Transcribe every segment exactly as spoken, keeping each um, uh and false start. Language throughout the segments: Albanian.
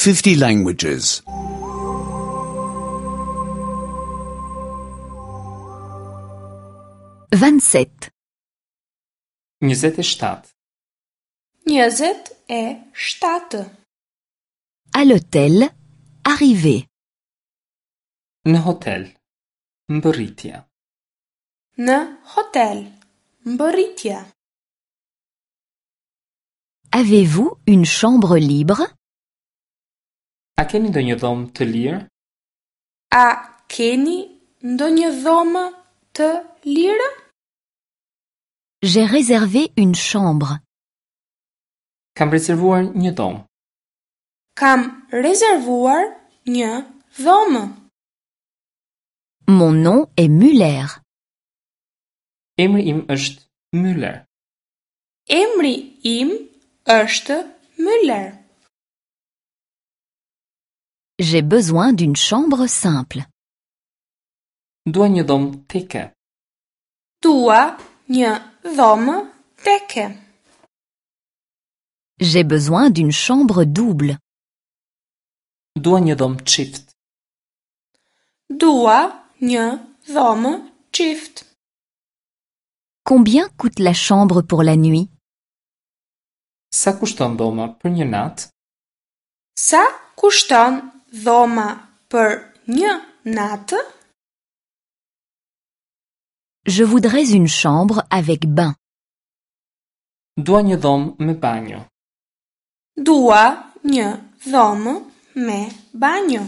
fifty languages. vingt-sept. njëzet e shtatë. Njëzet e shtatë. À l'hôtel, arrivée. Në hotel, mbërritja. Në hotel, mbërritja. Avez-vous une chambre libre? A keni ndonjë dhomë të lirë? A keni ndonjë dhomë të lirë? J'ai réservé une chambre. Kam rezervuar një dhomë. Kam rezervuar një dhomë. Mon nom est Muller. Emri im është Müller. Emri im është Müller. J'ai besoin d'une chambre simple. Dua një dhomë teke. Dua një dhomë teke. J'ai besoin d'une chambre double. Dua një dhomë çift. Dua një dhomë çift. Combien coûte la chambre pour la nuit? Sa kushton dhoma për një natë? Sa kushton dhoma për një natë? Je voudrais une chambre avec bain. Dua një dhomë me banjo. Dua një dhomë me banjo.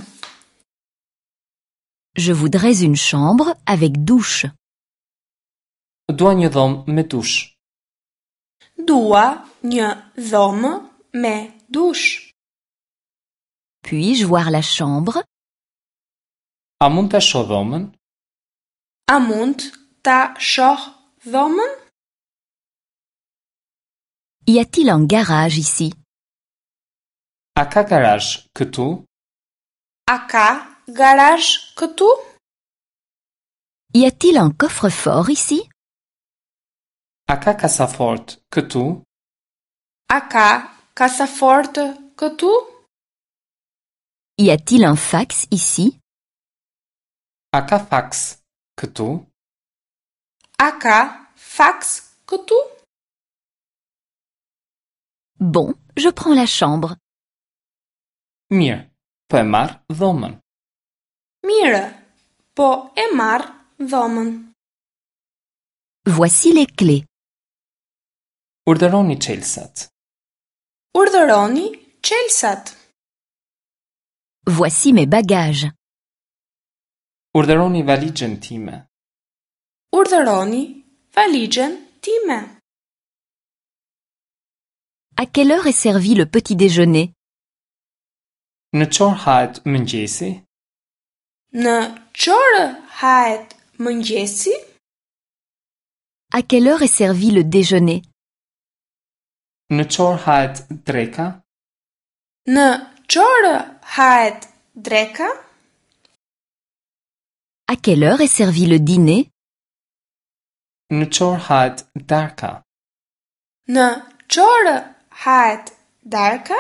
Je voudrais une chambre avec douche. Dua një dhomë me dush. Dua një dhomë me dush. Puis-je voir la chambre? A mund ta shoh dhomën? A mund ta shoh dhomën? Y a-t-il un garage ici? A ka garazh këtu? A ka garazh këtu? Y a-t-il un coffre-fort ici? A ka kasafort këtu? A ka kasafort këtu? Y a-t-il un fax ici? A ka faks këtu? A ka faks këtu? Bon, je prends la chambre. Mirë, po e marr dhomën. Mirë, po e marr dhomën. Voici les clés. Urdhëroni çelësat. Urdhëroni çelësat. Voici mes bagages. Urdhëroni valixhen time. Urdhëroni valixhen time. À quelle heure est servi le petit déjeuner? Në ç'orë hahet mëngjesi? Në ç'orë hahet mëngjesi? À quelle heure est servi le déjeuner? Në ç'orë hahet dreka? Në ç'orë hahet dreka? À quelle heure est servi le dîner? Në ç'orë hahet darka? Në ç'orë hahet darka?